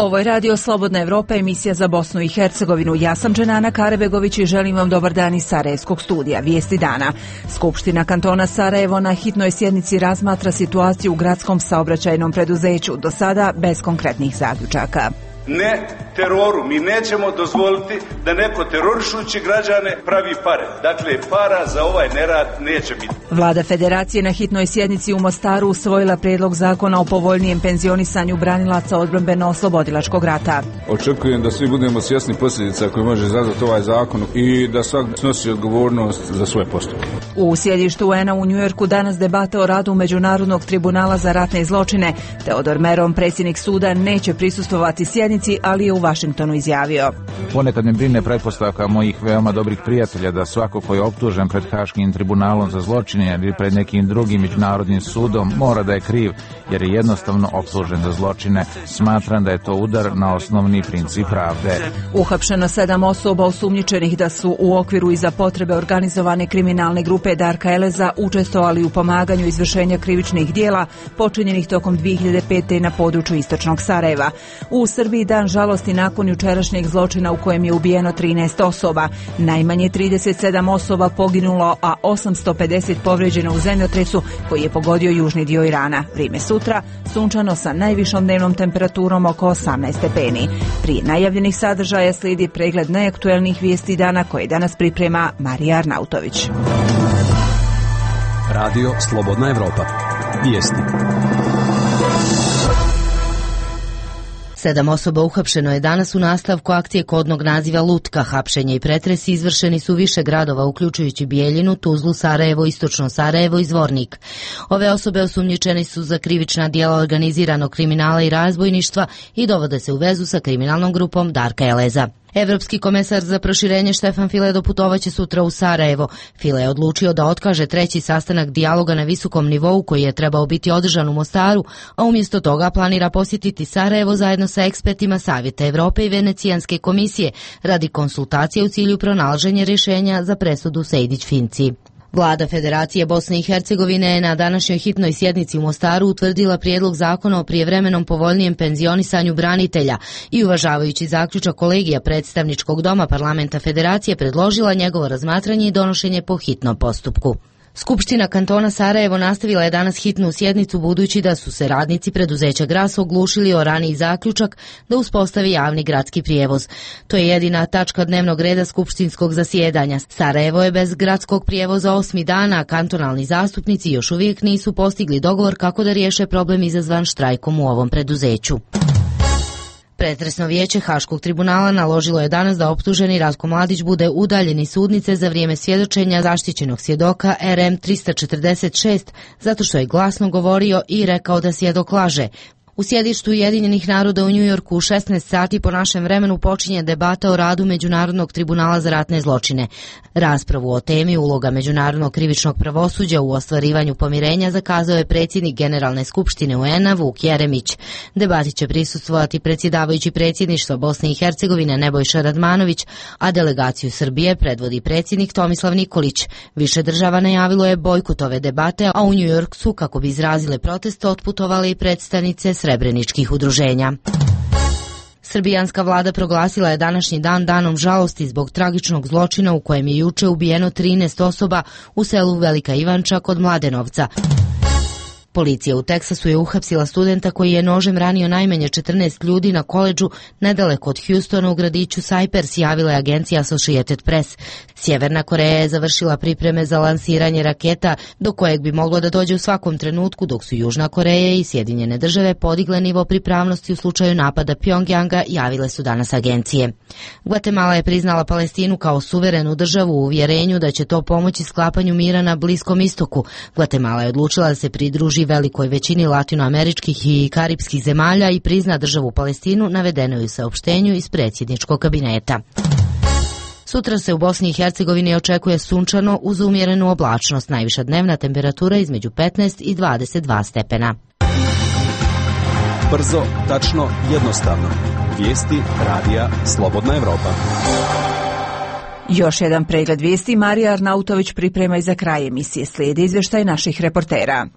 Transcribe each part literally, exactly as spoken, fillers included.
Ovo je Radio Slobodna Evropa, emisija za Bosnu i Hercegovinu. Ja sam Dženana Karebegović i želim vam dobar dan iz Sarajevskog studija. Vijesti dana. Skupština kantona Sarajevo na hitnoj sjednici razmatra situaciju u gradskom saobraćajnom preduzeću, do sada bez konkretnih zaključaka. Ne teroru, mi nećemo dozvoliti da neko terorišući građane pravi pare. Dakle, para za ovaj nerad neće biti. Vlada Federacije na hitnoj sjednici u Mostaru usvojila prijedlog zakona o povoljnijem penzionisanju branilaca odbrambeno-oslobodilačkog rata. Očekujem da svi budemo svjesni posljedica koje može izazvati ovaj zakon i da svak snosi odgovornost za svoje postupke. U sjedištu U N-a u Njujorku danas debata o radu Međunarodnog tribunala za ratne zločine. Teodor Meron, predsjednik suda, neće prisustvovati sjednici, ali je u Vašingtonu izjavio: Ponekad me brine pretpostavka mojih veoma dobrih prijatelja da svako ko je optužen pred Haškim tribunalom za zločine ili pred nekim drugim međunarodnim sudom mora da je kriv, jer je jednostavno optužen za zločine. Smatram da je to udar na osnovni princip pravde. Uhapšeno sedam osoba osumnjičenih da su u okviru i za potrebe organizovane kriminalne grupe Darka Eleza učestvovali u pomaganju izvršenja krivičnih dijela počinjenih tokom dvije hiljade pete. na području istočnog Sarajeva. U Srbiji dan žalosti nakon jučerašnjeg zločina u kojem je ubijeno trinaest osoba. Najmanje trideset sedam osoba poginulo, a osamsto pedeset povrijeđeno u zemljotresu koji je pogodio južni dio Irana. Vrijeme sutra, sunčano sa najvišom dnevnom temperaturom oko osamnaest stepeni. Prije najavljenih sadržaja slijedi pregled najaktuelnijih vijesti dana koje danas priprema Marija Arnautović. Radio Slobodna Evropa. Vijesti. Sedam osoba uhapšeno je danas u nastavku akcije kodnog naziva Lutka. Hapšenje i pretresi izvršeni su više gradova, uključujući Bijeljinu, Tuzlu, Sarajevo, Istočno Sarajevo i Zvornik. Ove osobe osumnjičeni su za krivična djela organiziranog kriminala i razbojništva i dovode se u vezu sa kriminalnom grupom Darka Eleza. Evropski komesar za proširenje Štefan File doputovaće sutra u Sarajevo. File je odlučio da otkaže treći sastanak dijaloga na visokom nivou koji je trebao biti održan u Mostaru, a umjesto toga planira posjetiti Sarajevo zajedno sa ekspertima Savjeta Evrope i Venecijanske komisije radi konsultacije u cilju pronalaženja rješenja za presudu Sejdić-Finci. Vlada Federacije Bosne i Hercegovine je na današnjoj hitnoj sjednici u Mostaru utvrdila prijedlog zakona o prijevremenom povoljnijem penzionisanju branitelja i uvažavajući zaključak kolegija predstavničkog doma parlamenta Federacije predložila njegovo razmatranje i donošenje po hitnom postupku. Skupština kantona Sarajevo nastavila je danas hitnu sjednicu budući da su se radnici preduzeća Gras oglušili o raniji zaključak da uspostavi javni gradski prijevoz. To je jedina tačka dnevnog reda skupštinskog zasjedanja. Sarajevo je bez gradskog prijevoza osmi dana, a kantonalni zastupnici još uvijek nisu postigli dogovor kako da riješe problem izazvan štrajkom u ovom preduzeću. Pretresno vijeće Haškog tribunala naložilo je danas da optuženi Ratko Mladić bude udaljen iz sudnice za vrijeme svjedočenja zaštićenog svjedoka R M tristo četrdeset šest zato što je glasno govorio i rekao da svjedok laže. U sjedištu Ujedinjenih naroda u Njujorku u šesnaest sati po našem vremenu počinje debata o radu Međunarodnog tribunala za ratne zločine. Raspravu o temi uloga Međunarodnog krivičnog pravosuđa u ostvarivanju pomirenja zakazao je predsjednik Generalne skupštine U N-a Vuk Jeremić. Debati će prisustvovati predsjedavajući predsjedništva Bosne i Hercegovine Nebojša Radmanović, a delegaciju Srbije predvodi predsjednik Tomislav Nikolić. Više država najavilo je bojkot ove debate, a u Njujork su, kako bi izrazile protest, otputovali i predstavnice srebreničkih udruženja. Srbijanska vlada proglasila je današnji dan danom žalosti zbog tragičnog zločina u kojem je juče ubijeno trinaest osoba u selu Velika Ivanča kod Mladenovca. Policija u Teksasu je uhapsila studenta koji je nožem ranio najmanje četrnaest ljudi na koledžu nedaleko od Houstona u gradiću Cypress, javila je agencija Associated Press. Sjeverna Koreja je završila pripreme za lansiranje raketa do kojeg bi moglo da dođe u svakom trenutku, dok su Južna Koreja i Sjedinjene države podigle nivo pripravnosti u slučaju napada Pjongjanga, javile su danas agencije. Gvatemala je priznala Palestinu kao suverenu državu u uvjerenju da će to pomoći sklapanju mira na Bliskom istoku. Gvatemala je odlučila da se pridruži velikoj većini latinoameričkih i karipskih zemalja i prizna državu Palestinu, navedeno je u saopštenju iz predsjedničkog kabineta. Sutra se u Bosni i Hercegovini očekuje sunčano uz umjerenu oblačnost, najviša dnevna temperatura između petnaest i dvadeset dva stepena. Brzo, tačno, jednostavno. Vijesti radija Slobodna Evropa. Još jedan pregled vijesti Marija Arnautović priprema i za kraj emisije. Slijedi izvještaj naših reportera.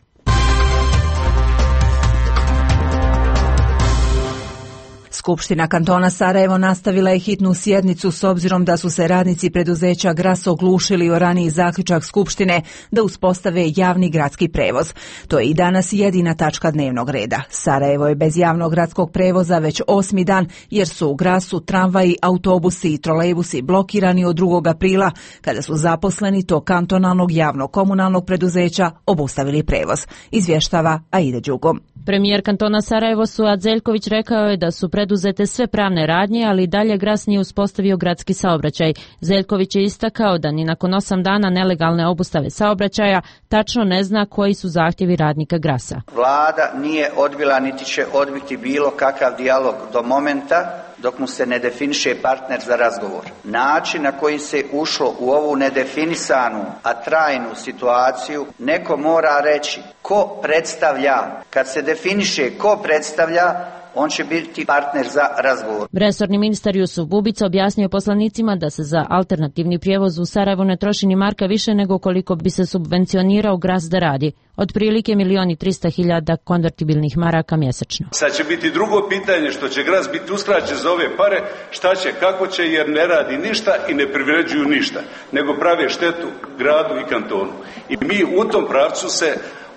Skupština kantona Sarajevo nastavila je hitnu sjednicu s obzirom da su se radnici preduzeća Gras oglušili o raniji zaključak Skupštine da uspostave javni gradski prevoz. To je i danas jedina tačka dnevnog reda. Sarajevo je bez javnog gradskog prevoza već osmi dan jer su u Grasu tramvaji, autobusi i trolejbusi blokirani od drugog aprila kada su zaposleni tog kantonalnog javnog komunalnog preduzeća obustavili prevoz. Izvještava Aida Đugom. Premijer kantona Sarajevo Suad Zeljković rekao je da su preduzete sve pravne radnje, ali dalje Gras nije uspostavio gradski saobraćaj. Zeljković je istakao da ni nakon osam dana nelegalne obustave saobraćaja tačno ne zna koji su zahtjevi radnika Grasa. Vlada nije odbila niti će odbiti bilo kakav dijalog do momenta dok mu se ne definiše partner za razgovor. Način na koji se ušlo u ovu nedefinisanu, a trajnu situaciju, neko mora reći ko predstavlja. Kad se definiše ko predstavlja, on će biti partner za razgovor. Resorni ministar Jusuf Bubica objasnio poslanicima da se za alternativni prijevoz u Sarajevu ne troši ni marka više nego koliko bi se subvencionirao Gras da radi. Otprilike milijon i trista hiljada konvertibilnih maraka mjesečno. Sad će biti drugo pitanje što će Gras biti uskraćen za ove pare, šta će, kako će, jer ne radi ništa i ne privređuju ništa, nego prave štetu gradu i kantonu. I mi u tom pravcu se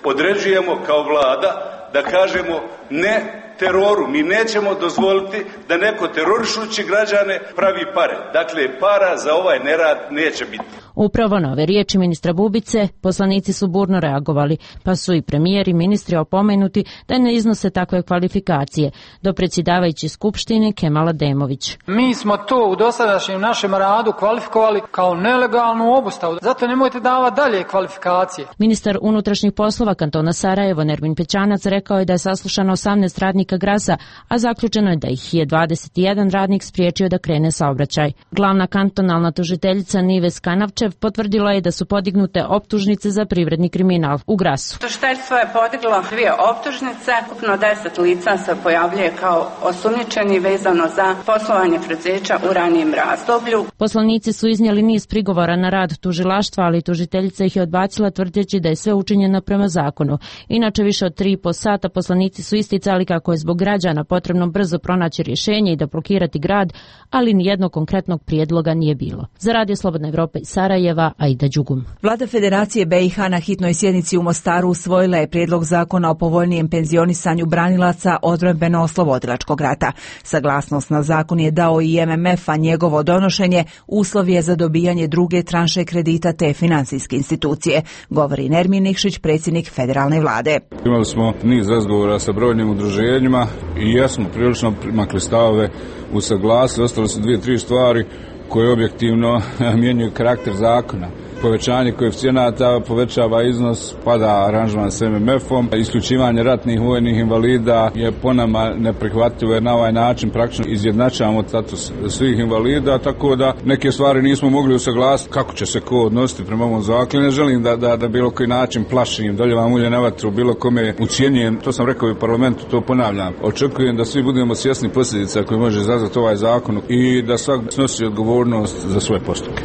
određujemo kao vlada da kažemo ne teroru. Mi nećemo dozvoliti da neko terorišući građane pravi pare. Dakle, para za ovaj nerad neće biti. Upravo na ove riječi ministra Bubice poslanici su burno reagovali, pa su i premijer i ministri opomenuti da ne iznose takve kvalifikacije. Do predsjedavajući Skupštine Kemal Ademović. Mi smo to u dosadašnjem našem radu kvalifikovali kao nelegalnu obustavu, zato nemojte davati dalje kvalifikacije. Ministar unutrašnjih poslova kantona Sarajevo Nermin Pećanac rekao je da je saslušano osamnaest radnika Grasa, a zaključeno je da ih je dvadeset jedan radnik spriječio da krene saobraćaj. Glavna kantonalna tužiteljica Nives Kanavčev potvrdila je da su podignute optužnice za privredni kriminal u Grasu. Tužiteljstvo je podiglo dvije optužnice, ukupno deset lica se pojavljuje kao osumnjičeni vezano za poslovanje preduzeća u ranijem razdoblju. Poslanici su iznijeli niz prigovora na rad tužilaštva, ali tužiteljica ih je odbacila tvrdeći da je sve učinjeno prema zakonu. Inače, više od tri i po sata poslanici su isticali kako je zbog građana potrebno brzo pronaći rješenje i da blokirati grad, ali nijednog konkretnog prijedloga nije bilo. Za Radio Slobodna Evropa i Sarajeva, Aida Đugum. Vlada Federacije B i H na hitnoj sjednici u Mostaru usvojila je prijedlog zakona o povoljnijem penzionisanju branilaca odbrambeno-oslobodilačkog rata. Saglasnost na zakon je dao i M M F, a njegovo donošenje uslov je za dobijanje druge tranše kredita te financijske institucije, govori Nermin Nikšić, predsjednik federalne vlade. Imali smo niz razgovora sa brojnim udruženjima i ja smo prilično makli stavove u saglasnosti. Ostale su dvije, tri stvari koje objektivno mijenjaju karakter zakona. Povećanje koeficijenata povećava iznos, pada aranžman s M M F-om. Isključivanje ratnih vojnih invalida je po nama neprihvatljivo jer na ovaj način praktično izjednačavamo status svih invalida, tako da neke stvari nismo mogli usaglasiti kako će se ko odnositi prema ovom zakonu. Ne želim da, da, da bilo koji način plašim, doljevam ulje na vatru, bilo kome ucijenjujem. To sam rekao i u parlamentu, to ponavljam. Očekujem da svi budemo svjesni posljedica koje može izazvati ovaj zakon i da svak snosi odgovornost za svoje postupke.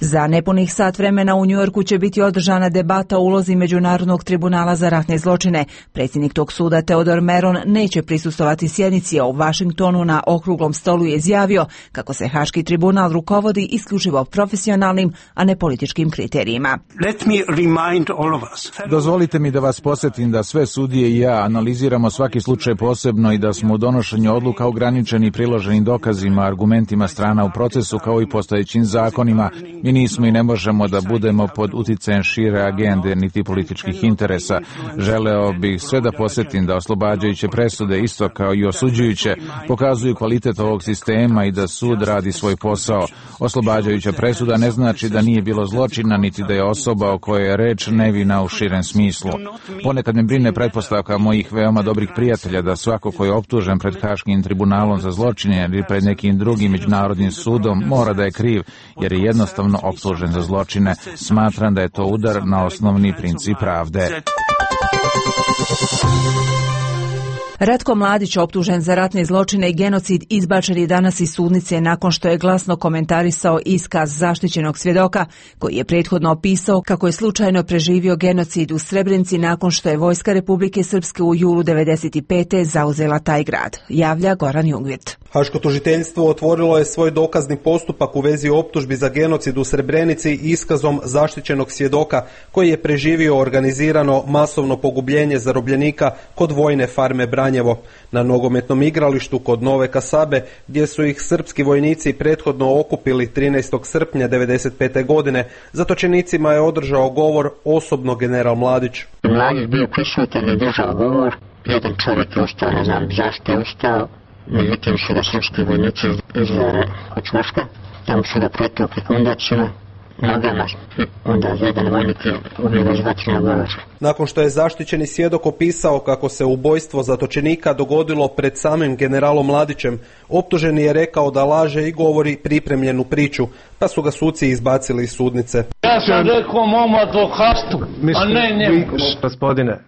Za nepunih sat vremena u Njujorku će biti održana debata o ulozi Međunarodnog tribunala za ratne zločine. Predsjednik tog suda Teodor Meron neće prisustovati sjednici, a u Vašingtonu na okruglom stolu je izjavio kako se Haški tribunal rukovodi isključivo profesionalnim, a ne političkim kriterijima. Let me remind all of us. Dozvolite mi da vas podsjetim da sve sudije i ja analiziramo svaki slučaj posebno i da smo u donošenju odluka ograničeni priloženim dokazima, argumentima strana u procesu kao i postojećim zakonima. Mi nismo i ne možemo da budemo pod uticajem šire agende niti političkih interesa. Želeo bih sve da posjetim da oslobađajuće presude, isto kao i osuđujuće, pokazuju kvalitet ovog sistema i da sud radi svoj posao. Oslobađajuća presuda ne znači da nije bilo zločina, niti da je osoba o kojoj je reč nevina u širem smislu. Ponekad me brine pretpostavka mojih veoma dobrih prijatelja da svako ko je optužen pred Haškim tribunalom za zločine ili pred nekim drugim međunarodnim sudom mora da je kriv, jer je jednostavno optužen za zločine. Smatram da je to udar na osnovni princip pravde. Ratko Mladić, optužen za ratne zločine i genocid, izbačen je danas iz sudnice nakon što je glasno komentarisao iskaz zaštićenog svjedoka koji je prethodno opisao kako je slučajno preživio genocid u Srebrenici nakon što je vojska Republike Srpske u julu devedeset pete zauzela taj grad. Javlja Goran Jungvirt. Haško tužiteljstvo otvorilo je svoj dokazni postupak u vezi optužbi za genocid u Srebrenici iskazom zaštićenog svjedoka koji je preživio organizirano masovno pogubljenje zarobljenika kod vojne farme Branjevo na nogometnom igralištu kod Nove Kasabe, gdje su ih srpski vojnici prethodno okupili trinaestog srpnja devedeset pete godine. Zatočenicima je održao govor osobno general Mladić. Mladić bio prisutan i držao govor. Jedan čovjek je ostao, ne znam zašto je ostao. Međutim su ga srpski vojnici izvali od čvoška, tamo su ga pretukli kondacima, nogama i onda jedan vojnik je ubio bez vatrenog oružja. Nakon što je zaštićeni svjedok opisao kako se ubojstvo zatočenika dogodilo pred samim generalom Mladićem, optuženi je rekao da laže i govori pripremljenu priču, pa su ga suci izbacili iz sudnice. Ja sam rekao mom advokatu, a ne njemu. Gospodine,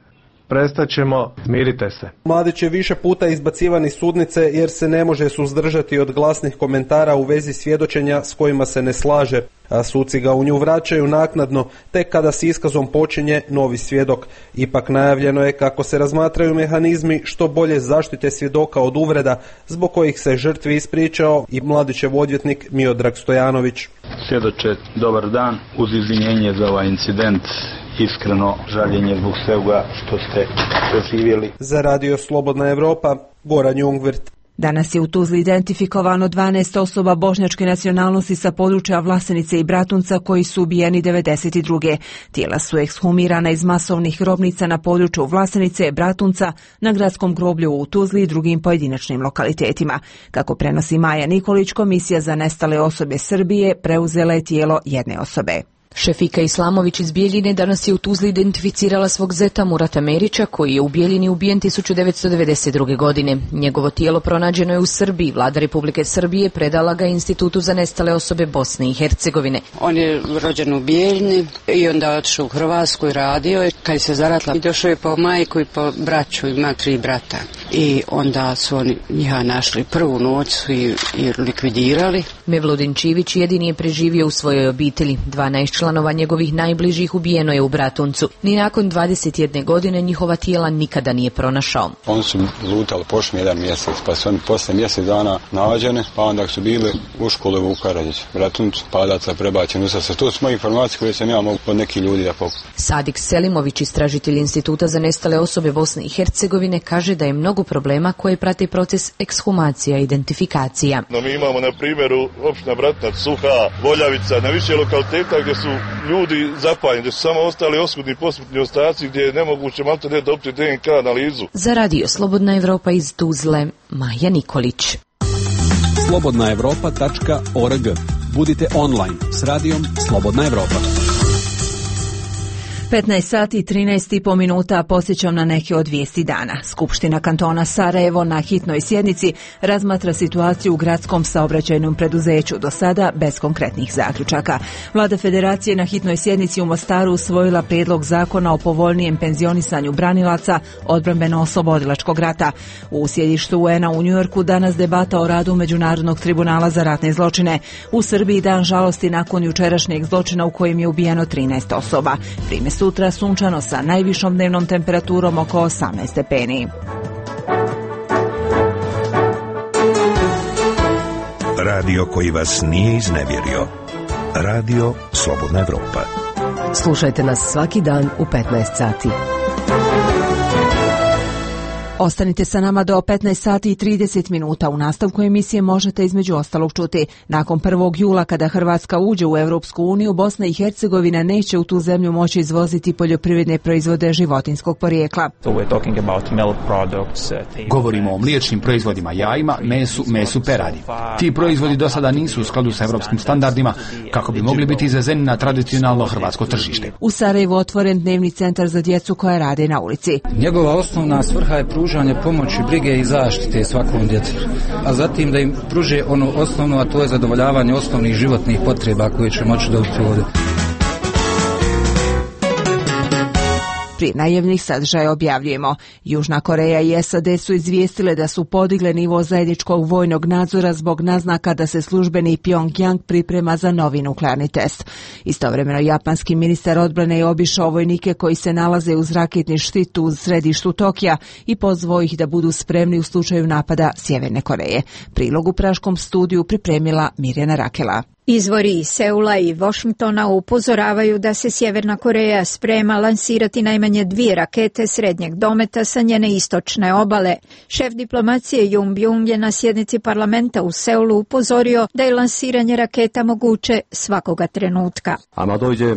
prestat ćemo, smirite se. Mladić je više puta izbacivan iz sudnice jer se ne može suzdržati od glasnih komentara u vezi svjedočenja s kojima se ne slaže, a suci ga u nju vraćaju naknadno tek kada s iskazom počinje novi svjedok. Ipak najavljeno je kako se razmatraju mehanizmi što bolje zaštite svjedoka od uvreda zbog kojih se žrtvi ispričao i Mladićev odvjetnik Miodrag Stojanović. Svjedoče, dobar dan, uz izvinjenje za ovaj incident. Iskreno žaljenje zbog svega što ste preživjeli. Za Radio Slobodna Evropa, Goran Jungvirt. Danas je u Tuzli identifikovano dvanaest osoba bošnjačke nacionalnosti sa područja Vlasenice i Bratunca koji su ubijeni devedeset druge. Tijela su ekshumirana iz masovnih grobnica na području Vlasenice, Bratunca, na gradskom groblju u Tuzli i drugim pojedinačnim lokalitetima. Kako prenosi Maja Nikolić, Komisija za nestale osobe Srbije preuzela je tijelo jedne osobe. Šefika Islamović iz Bijeljine danas je u Tuzli identificirala svog zeta Murata Merića, koji je u Bijeljini ubijen tisuću devetsto devedeset druge. godine. Njegovo tijelo pronađeno je u Srbiji. Vlada Republike Srbije predala ga Institutu za nestale osobe Bosne i Hercegovine. On je rođen u Bijeljini i onda otišao u Hrvatsku i radio. Kad se zaratila, došao je po majku i po braću, ima tri brata. I onda su oni njiha našli. Prvu noć su i, i likvidirali. Mevludin Čivić jedini je preživio u svojoj obitelji. dvanaest članova njegovih najbližih ubijeno je u Bratuncu. Ni nakon dvadeset jedne godine njihova tijela nikada nije pronašao. Oni su lutali pošli jedan mjesec, pa su oni posle mjesec dana nađene, pa onda su bili u škole u Karadžić, Bratuncu, padaca prebačeni u srce. To su moje informacije koje sam ja mogu od nekih ljudi da pokušam. Sadik Selimović, istražitelj Instituta za nestale osobe Bosne i Hercegovine, kaže da je mnogo problema koje prate proces ekshumacija i identifikacija. No, mi imamo na primjeru opština Bratnac, Suha, Voljavica, na više lokaliteta gdje su ljudi zapaljeni, gdje su samo ostali oskudni posmrtni ostaci gdje je nemoguće malte ne dobiti D N K analizu. Za Radio Slobodna Evropa iz Tuzle, Maja Nikolić. slobodna evropa tačka org. Budite online s radijom Slobodna Evropa. petnaest sati i trinaest i po minuta posjećam na neke od vijesti dana. Skupština kantona Sarajevo na hitnoj sjednici razmatra situaciju u gradskom saobraćajnom preduzeću, do sada bez konkretnih zaključaka. Vlada Federacije na hitnoj sjednici u Mostaru usvojila prijedlog zakona o povoljnijem penzionisanju branilaca odbrambeno-oslobodilačkog rata. U sjedištu U N-a u Njujorku danas debata o radu Međunarodnog tribunala za ratne zločine. U Srbiji dan žalosti nakon jučerašnjeg zločina u kojem je ubijeno trinaest osoba. Prime sutra sunčano sa najvišom dnevnom temperaturom oko osamnaest stepeni. Radio koji vas nije iznevjerio. Radio Slobodna Evropa. Slušajte nas svaki dan u petnaest sati. Ostanite sa nama do petnaest sati i trideset minuta. U nastavku emisije možete između ostalog čuti. Nakon prvog jula kada Hrvatska uđe u Europsku uniju, Bosna i Hercegovina neće u tu zemlju moći izvoziti poljoprivredne proizvode životinjskog porijekla. Govorimo o mliječnim proizvodima, jajima, mesu, mesu peradi. Ti proizvodi do sada nisu u skladu sa europskim standardima kako bi mogli biti izvezeni na tradicionalno hrvatsko tržište. U Sarajevu otvoren dnevni centar za djecu koja rade na ulici. Njegova osnovna svrha je pružanje pomoći, brige i zaštite svakom djetetu, a zatim da im pruže ono osnovno, a to je zadovoljavanje osnovnih životnih potreba koje će moći dobiti ovdje. Prije najavnih sadržaja objavljujemo. Južna Koreja i S A D su izvijestile da su podigle nivo zajedničkog vojnog nadzora zbog naznaka da se službeni Pyongyang priprema za novi nuklearni test. Istovremeno japanski ministar odbrane je obišao vojnike koji se nalaze uz raketni štit u središtu Tokija i pozvao ih da budu spremni u slučaju napada Sjeverne Koreje. Prilog u praškom studiju pripremila Mirjana Rakela. Izvori iz Seula i Washingtona upozoravaju da se Sjeverna Koreja sprema lansirati najmanje dvije rakete srednjeg dometa sa njene istočne obale. Šef diplomacije Jung Byung je na sjednici parlamenta u Seulu upozorio da je lansiranje raketa moguće svakoga trenutka.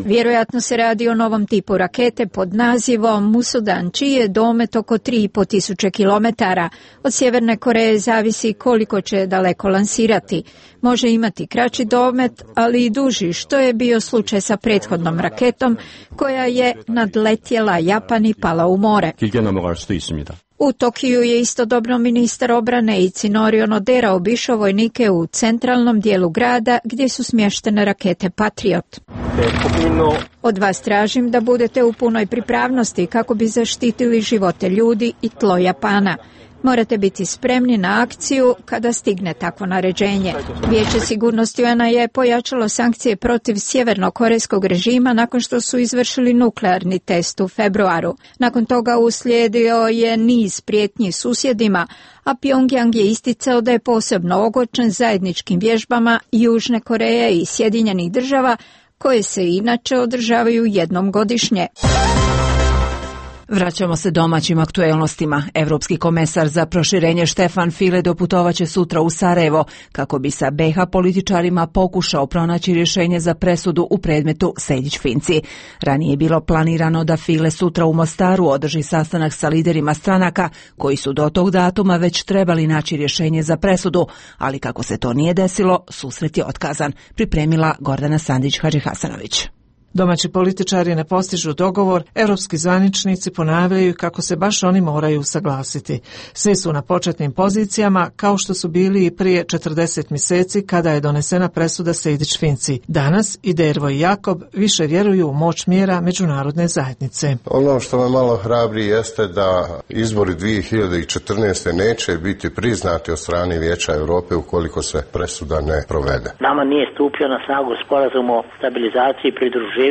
Vjerojatno se radi o novom tipu rakete pod nazivom Musudan, čiji je domet oko tri i pol tisuće kilometara. Od Sjeverne Koreje zavisi koliko će daleko lansirati. Može imati kraći domet, ali i duži, što je bio slučaj sa prethodnom raketom koja je nadletjela Japan i pala u more. U Tokiju je istodobno ministar obrane Itsunori Onodera obišao vojnike u centralnom dijelu grada gdje su smještene rakete Patriot. Od vas tražim da budete u punoj pripravnosti kako bi zaštitili živote ljudi i tlo Japana. Morate biti spremni na akciju kada stigne takvo naređenje. Vijeće sigurnosti U N A je pojačalo sankcije protiv sjevernokorejskog režima nakon što su izvršili nuklearni test u februaru. Nakon toga uslijedio je niz prijetnji susjedima, a Pyongyang je isticao da je posebno ogorčen zajedničkim vježbama Južne Koreje i Sjedinjenih Država, koje se inače održavaju jednom godišnje. Vraćamo se domaćim aktuelnostima. Evropski komesar za proširenje Štefan File doputovaće sutra u Sarajevo kako bi sa B iH političarima pokušao pronaći rješenje za presudu u predmetu Sejdić-Finci. Ranije je bilo planirano da File sutra u Mostaru održi sastanak sa liderima stranaka koji su do tog datuma već trebali naći rješenje za presudu, ali kako se to nije desilo, susret je otkazan. Pripremila Gordana Sandić-Hadžihasanović. Domaći političari ne postižu dogovor, europski zvaničnici ponavljaju kako se baš oni moraju usaglasiti. Svi su na početnim pozicijama, kao što su bili i prije četrdeset mjeseci kada je donesena presuda Sejdić-Finci. Danas i Dervo i Jakob više vjeruju u moć mjera međunarodne zajednice. Ono što me malo hrabri jeste da izbori dvije hiljade četrnaeste. neće biti priznati od strane Vijeća Europe ukoliko se presuda ne provede. Nama nije stupio na snagu sporazum o stabilizaciji i pridruživanju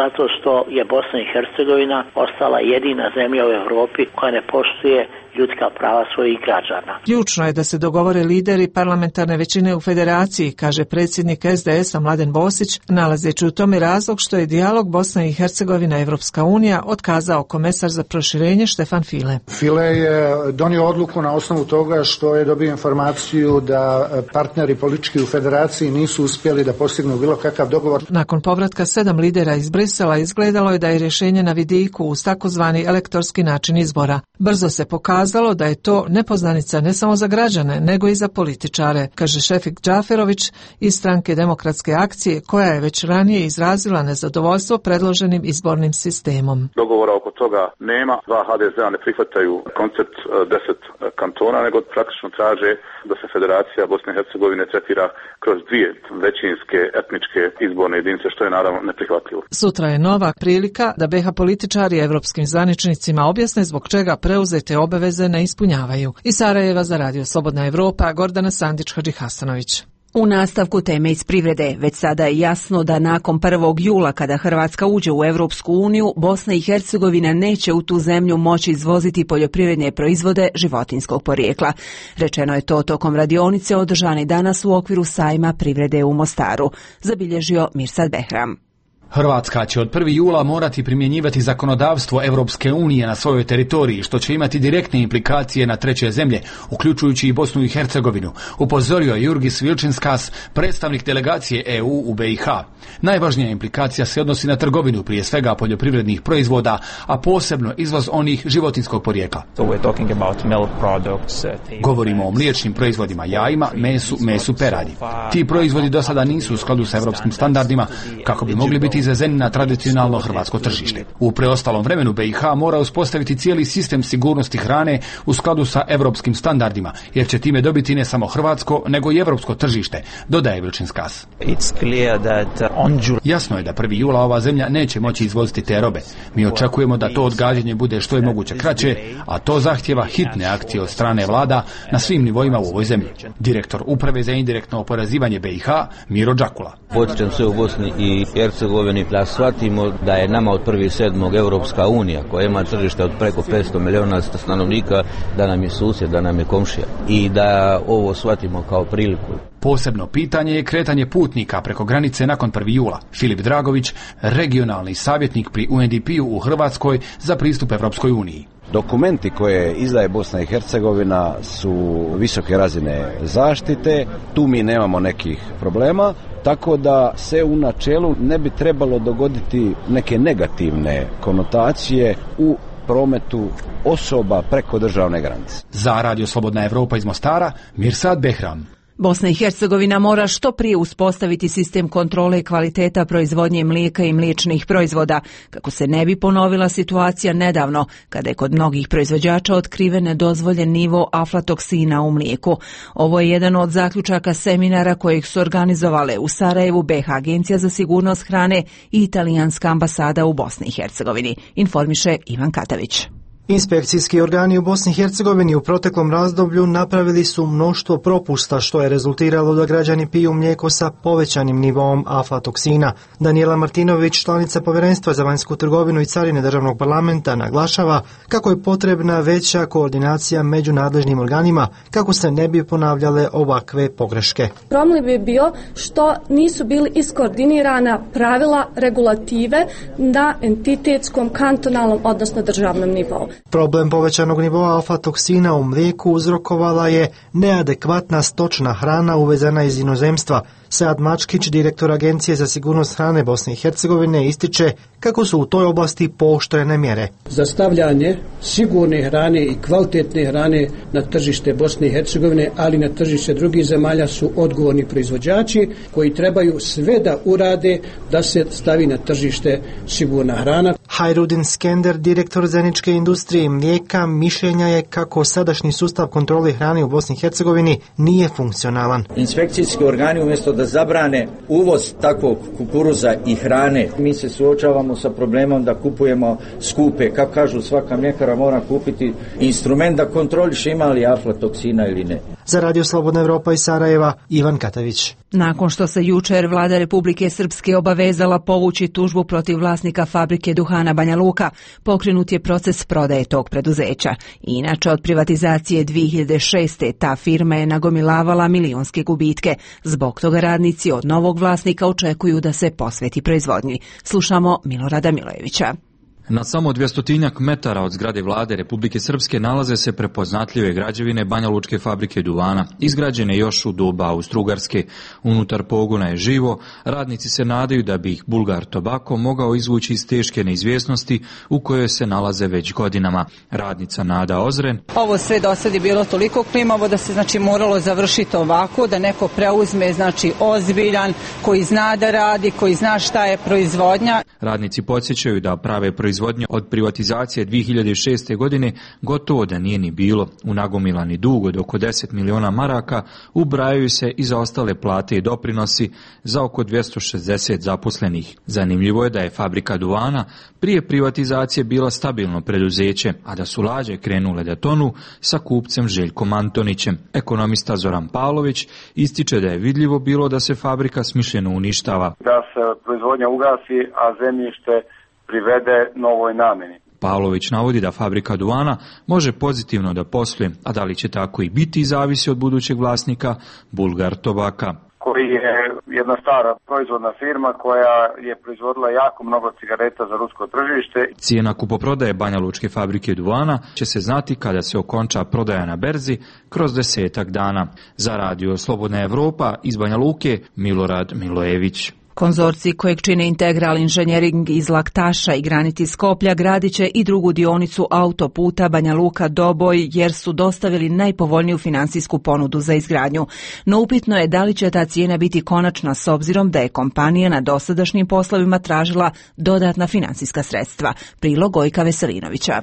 zato što je Bosna i Hercegovina ostala jedina zemlja u Europi koja ne poštuje ljudska prava svojih građana. Ključno je da se dogovore lideri parlamentarne većine u federaciji, kaže predsjednik S D S-a Mladen Bosić, nalazeći u tome razlog što je dijalog Bosna i Hercegovina Evropska unija otkazao komesar za proširenje Štefan File. File je donio odluku na osnovu toga što je dobio informaciju da partneri politički u federaciji nisu uspjeli da postignu bilo kakav dogovor. Nakon povratka sedam lidera iz Brisela izgledalo je da je rješenje na vidiku uz takozvani elektorski način izbora. Brzo se pokazalo Kazalo da je to nepoznanica ne samo za građane, nego i za političare, kaže Šefik Džaferović iz stranke Demokratske akcije, koja je već ranije izrazila nezadovoljstvo predloženim izbornim sistemom. Dogovora oko toga nema. Dva H D Z-a ne prihvataju koncept deset kantona, nego praktično traže da se Federacija Bosne i Hercegovine tretira kroz dvije većinske etničke izborne jedinice, što je naravno neprihvatljivo. Sutra je nova prilika da B iH političari evropskim zvaničnicima objasne zbog čega preuzete obaveze ne ispunjavaju. Iz Sarajeva za Radio Slobodna Evropa, Gordana Sandić-Hadžihasanović. U nastavku teme iz privrede, već sada je jasno da nakon prvog jula kada Hrvatska uđe u Europsku uniju, Bosna i Hercegovina neće u tu zemlju moći izvoziti poljoprivredne proizvode životinjskog porijekla. Rečeno je to tokom radionice održane danas u okviru sajma privrede u Mostaru, zabilježio Mirsad Behram. Hrvatska će od prvog jula morati primjenjivati zakonodavstvo Europske unije na svojoj teritoriji, što će imati direktne implikacije na treće zemlje, uključujući i Bosnu i Hercegovinu, upozorio Jurgis Vilčinskas, predstavnik delegacije E U u B iH. Najvažnija implikacija se odnosi na trgovinu, prije svega poljoprivrednih proizvoda, a posebno izvoz onih životinjskog porijekla. Govorimo o mliječnim proizvodima, jajima, mesu, mesu peradi. Ti proizvodi do sada nisu u skladu sa europskim standardima, kako bi mogli biti izvezeni na tradicionalno hrvatsko tržište. U preostalom vremenu B i H mora uspostaviti cijeli sistem sigurnosti hrane u skladu sa europskim standardima, jer će time dobiti ne samo hrvatsko, nego i europsko tržište, dodaje Vilčinskas. Jasno je da prvog jula ova zemlja neće moći izvoziti te robe. Mi očekujemo da to odgađanje bude što je moguće kraće, a to zahtjeva hitne akcije od strane vlada na svim nivoima u ovoj zemlji. Direktor Uprave za indirektno oporezivanje B i H, Miro Đakula. Potičem sve u Bosni i Hercegovini da shvatimo da je nama od prvog sedmog Europska unija, koja ima tržište od preko petsto milijuna stanovnika, da nam je susjed, da nam je komšija i da ovo shvatimo kao priliku. Posebno pitanje je kretanje putnika preko granice nakon prvog jula. Filip Dragović, regionalni savjetnik pri U N D P-u u Hrvatskoj za pristup Evropskoj uniji. Dokumenti koje izdaje Bosna i Hercegovina su visoke razine zaštite, tu mi nemamo nekih problema, tako da se u načelu ne bi trebalo dogoditi neke negativne konotacije u prometu osoba preko državne granice. Za Radio Slobodna Evropa iz Mostara, Mirsad Behram. Bosna i Hercegovina mora što prije uspostaviti sistem kontrole kvaliteta proizvodnje mlijeka i mliječnih proizvoda, kako se ne bi ponovila situacija nedavno, kada je kod mnogih proizvođača otkriven nedozvoljen nivo aflatoksina u mlijeku. Ovo je jedan od zaključaka seminara kojeg su organizovale u Sarajevu B i H Agencija za sigurnost hrane i Italijanska ambasada u Bosni i Hercegovini, informiše Ivan Katavić. Inspekcijski organi u Bosni i Hercegovini u proteklom razdoblju napravili su mnoštvo propusta, što je rezultiralo da građani piju mlijeko sa povećanim nivoom aflatoksina. Danijela Martinović, članica Povjerenstva za vanjsku trgovinu i carine državnog parlamenta, naglašava kako je potrebna veća koordinacija među nadležnim organima kako se ne bi ponavljale ovakve pogreške. Problem bi bio što nisu bili iskoordinirana pravila regulative na entitetskom, kantonalnom, odnosno državnom nivou. Problem povećanog nivoa alfa-toksina u mlijeku uzrokovala je neadekvatna stočna hrana uvezena iz inozemstva. Sead Mačkić, direktor Agencije za sigurnost hrane Bosne i Hercegovine, ističe kako su u toj oblasti pooštrene mjere. Za stavljanje sigurne hrane i kvalitetne hrane na tržište Bosne i Hercegovine, ali na tržište drugih zemalja su odgovorni proizvođači koji trebaju sve da urade da se stavi na tržište sigurna hrana. Hajrudin Skender, direktor zajedničke industrije i mlijeka, mišljenja je kako sadašnji sustav kontrole hrane u Bosni i Hercegovini nije funkcionalan. Inspekcijski organi umjesto da zabrane uvoz takvog kukuruza i hrane, mi se suočavamo sa problemom da kupujemo skupe, kako kažu svaka mljekara mora kupiti instrument da kontroliše ima li aflatoksina ili ne. Za Radio Slobodna Evropa iz Sarajeva, Ivan Katavić. Nakon što se jučer vlada Republike Srpske obavezala povući tužbu protiv vlasnika fabrike duhana Banja Luka, pokrenut je proces prodaje tog preduzeća. Inače, od privatizacije dvije hiljade šeste. ta firma je nagomilavala milionske gubitke. Zbog toga radnici od novog vlasnika očekuju da se posveti proizvodnji. Slušamo Milorada Milojevića. Na samo dvjestotinjak metara od zgrade vlade Republike Srpske nalaze se prepoznatljive građevine Banja Lučke fabrike duvana, izgrađene još u doba Austro-Ugarske. Unutar pogona je živo, radnici se nadaju da bi ih Bulgar Tobacco mogao izvući iz teške neizvjesnosti u kojoj se nalaze već godinama. Radnica Nada Ozren. Ovo sve do sad je bilo toliko klimavo da se znači moralo završiti ovako, da neko preuzme znači ozbiljan, koji zna da radi, koji zna šta je proizvodnja. Radnici podsjećaju da prave proizvodnje od privatizacije dvije hiljade šeste. godine gotovo da nije ni bilo. U nagomilani dug od oko deset miliona maraka ubrajaju se i za ostale plate i doprinosi za oko dvjesto šezdeset zaposlenih. Zanimljivo je da je fabrika duvana prije privatizacije bila stabilno preduzeće, a da su lađe krenule da tonu sa kupcem Željkom Antonićem. Ekonomista Zoran Pavlović ističe da je vidljivo bilo da se fabrika smišljeno uništava. Da se proizvodnja ugasi, a zemljište privede novoj namjeni. Pavlović navodi da fabrika duvana može pozitivno da posluje, a da li će tako i biti zavisi od budućeg vlasnika Bulgar Tobacco, koji je jedna stara proizvodna firma koja je proizvodila jako mnogo cigareta za rusko tržište. Cijena kupoprodaje Banja Lučke fabrike duvana će se znati kada se okonča prodaja na berzi kroz desetak dana. Za Radio Slobodna Evropa iz Banja Luke, Milorad Milojević. Konzorcij kojeg čine Integral Inženjering iz Laktaša i Granit iz Skoplja gradit će i drugu dionicu autoputa Banja Luka-Doboj jer su dostavili najpovoljniju finansijsku ponudu za izgradnju. No upitno je da li će ta cijena biti konačna s obzirom da je kompanija na dosadašnjim poslovima tražila dodatna finansijska sredstva. Prilog Gojka Veselinovića.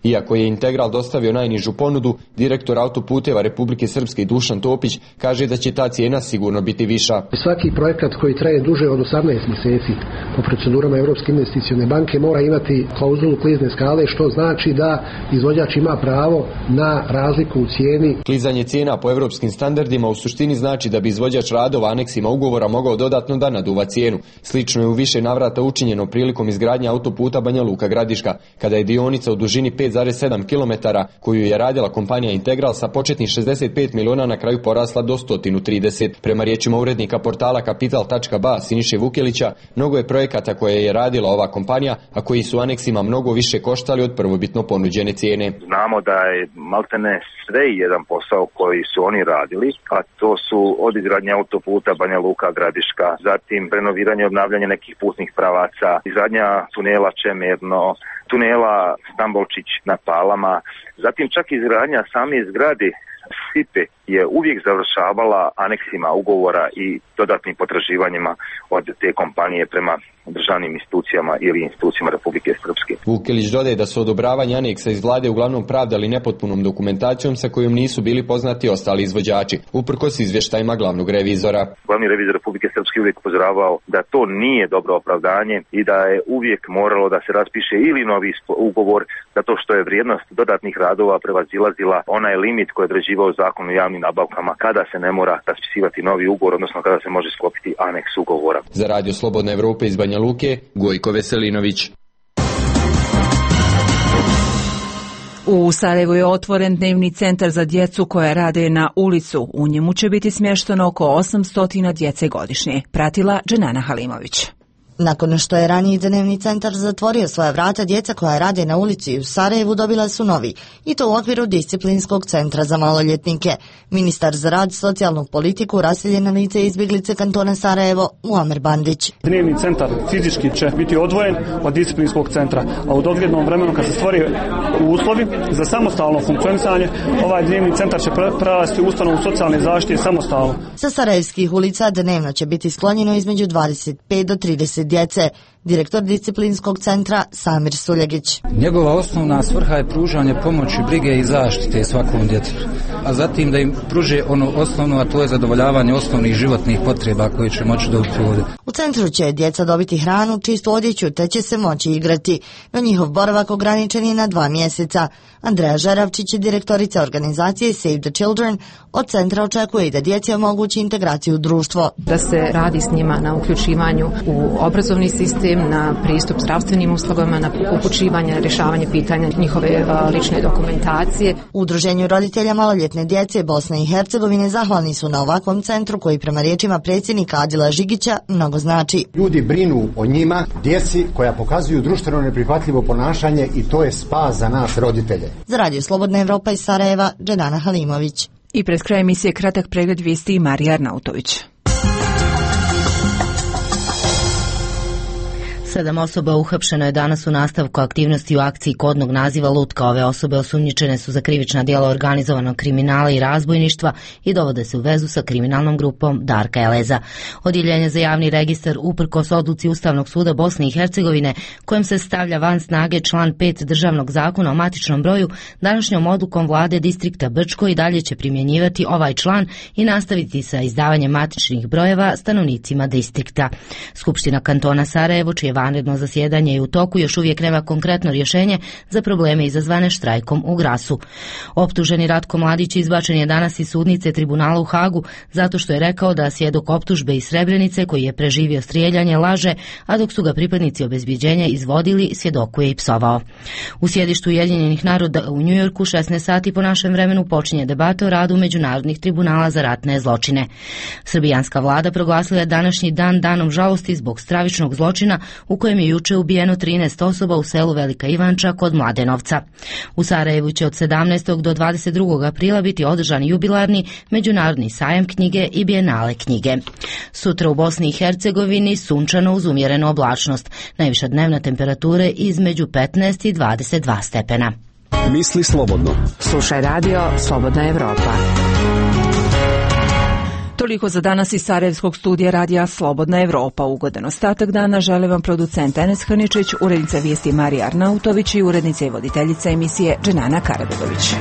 Iako je Integral dostavio najnižu ponudu, direktor autoputeva Republike Srpske Dušan Topić kaže da će ta cijena sigurno biti viša. Svaki projekat koji traje duže od osamnaest mjeseci po procedurama Europske investicione banke mora imati klauzulu klizne skale, što znači da izvođač ima pravo na razliku u cijeni. Klizanje cijena po europskim standardima u suštini znači da bi izvođač radova aneksima ugovora mogao dodatno da naduva cijenu. Slično je u više navrata učinjeno prilikom izgradnje autoputa Banja Luka-Gradiška, kada je dionica u dužini pet zarez sedam kilometara koju je radila kompanija Integral sa početnih šezdeset pet miliona na kraju porasla do sto trideset. Prema riječima urednika portala kapital tačka ba Siniše Vukelića, mnogo je projekata koje je radila ova kompanija, a koji su aneksima mnogo više koštali od prvobitno ponuđene cijene. Znamo da je maltene sve jedan posao koji su oni radili, a to su od izgradnje autoputa Banja Luka-Gradiška, zatim renoviranje i obnavljanje nekih putnih pravaca, izgradnja tunela Čemerno, tunela Stambolčić na Palama, zatim čak izgradnja same zgrade Sipe je uvijek završavala aneksima ugovora i dodatnim potraživanjima od te kompanije prema državnim institucijama ili institucijama Republike Srpske. Vukelić dodaje da su odobravanje aneksa iz vlade uglavnom pravdali nepotpunom dokumentacijom sa kojom nisu bili poznati ostali izvođači, uprkos izvještajima glavnog revizora. Glavni revizor Republike Srpske uvijek upozoravao da to nije dobro opravdanje i da je uvijek moralo da se raspiše ili novi ugovor, zato što je vrijednost dodatnih radova prevazilazila onaj limit koji je određivao zakon o javnim nabavkama, kada se ne mora raspisivati novi ugovor, odnosno kada se može sklopiti aneks ugovora. Za Radio Slobodne Evrope iz Banja Luke, Gojko Veselinović. U Sarajevu je otvoren dnevni centar za djecu koja rade na ulicu. U njemu će biti smješteno oko osamsto djece godišnje. Pratila Dženana Halimović. Nakon što je raniji dnevni centar zatvorio svoja vrata, djeca koja rade na ulici u Sarajevu dobila su novi, i to u okviru disciplinskog centra za maloljetnike. Ministar za rad, socijalnu politiku, raseljena lice i izbjeglice kantona Sarajevo, Muamer Bandić. Dnevni centar fizički će biti odvojen od disciplinskog centra, a u doglednom vremenu kad se stvori uslovi za samostalno funkcionisanje, ovaj dnevni centar će prerasti u ustanovu socijalne zaštite samostalno. Sa sarajevskih ulica dnevno će biti sklonjeno između dvadeset pet do trideset djece. Direktor disciplinskog centra Samir Suljegić. Njegova osnovna svrha je pružanje pomoći, brige i zaštite svakom djetetu, a zatim da im pruže ono osnovno, a to je zadovoljavanje osnovnih životnih potreba koje će moći dobiti ovdje. U centru će djeca dobiti hranu, čistu odjeću, te će se moći igrati, no njihov boravak ograničen je na dva mjeseca. Andreja Žeravčić, direktorica organizacije Save the Children, od centra očekuje i da djeci omogući integraciju u društvo. Da se radi s njima na uključivanju u obrazovni sistem, na pristup zdravstvenim uslugama, na upućivanje, rješavanje pitanja njihove lične dokumentacije. U Udruženju roditelja maloljetne djece Bosne i Hercegovine zahvalni su na ovakvom centru koji prema riječima predsjednika Adila Žigića mnogo znači. Ljudi brinu o njima, djeci koja pokazuju društveno neprihvatljivo ponašanje, i to je spas za nas roditelje. Za Radio Slobodna Evropa iz Sarajeva, Dženana Halimović. I pred kraj emisije kratak pregled vijesti Marija Arnautović. Sedam osoba uhapšeno je danas u nastavku aktivnosti u akciji kodnog naziva Lutka. Ove osobe osumnjičene su za krivična djela organizovanog kriminala i razbojništva i dovode se u vezu sa kriminalnom grupom Darka Eleza. Odjeljenje za javni registar, uprkos odluci Ustavnog suda Bosne i Hercegovine kojim se stavlja van snage član pet državnog zakona o matičnom broju, današnjom odlukom vlade distrikta Brčko i dalje će primjenjivati ovaj član i nastaviti sa izdavanjem matičnih brojeva stanovnicima distrikta. Skupština kantona Sarajevo, čije vanredno zasjedanje je u toku, još uvijek nema konkretno rješenje za probleme izazvane štrajkom u Grasu. Optuženi Ratko Mladić izbačen je danas iz sudnice tribunala u Hagu zato što je rekao da svjedok optužbe iz Srebrenice koji je preživio strijeljanje laže, a dok su ga pripadnici obezbjeđenja izvodili, svjedokuje i psovao. U sjedištu Ujedinjenih naroda u Njujorku šesnaest sati po našem vremenu počinje debata o radu međunarodnih tribunala za ratne zločine. Srbijanska vlada proglasila je današnji dan danom žalosti zbog stravičnog zločina u kojem je juče ubijeno trinaest osoba u selu Velika Ivanča kod Mladenovca. U Sarajevu će od sedamnaestog do dvadeset drugog aprila biti održani jubilarni Međunarodni sajam knjige i Bijenale knjige. Sutra u Bosni i Hercegovini sunčano uz umjerenu oblačnost, najviša dnevna temperature između petnaest i dvadeset dva stepena. Misli slobodno. Slušaj radio Slobodna Evropa. Toliko za danas iz Sarajevskog studija radija Slobodna Evropa. Ugodan ostatak dana žele vam producent Enes Hrničić, urednica vijesti Marija Arnautović i urednica i voditeljica emisije Dženana Karabegović.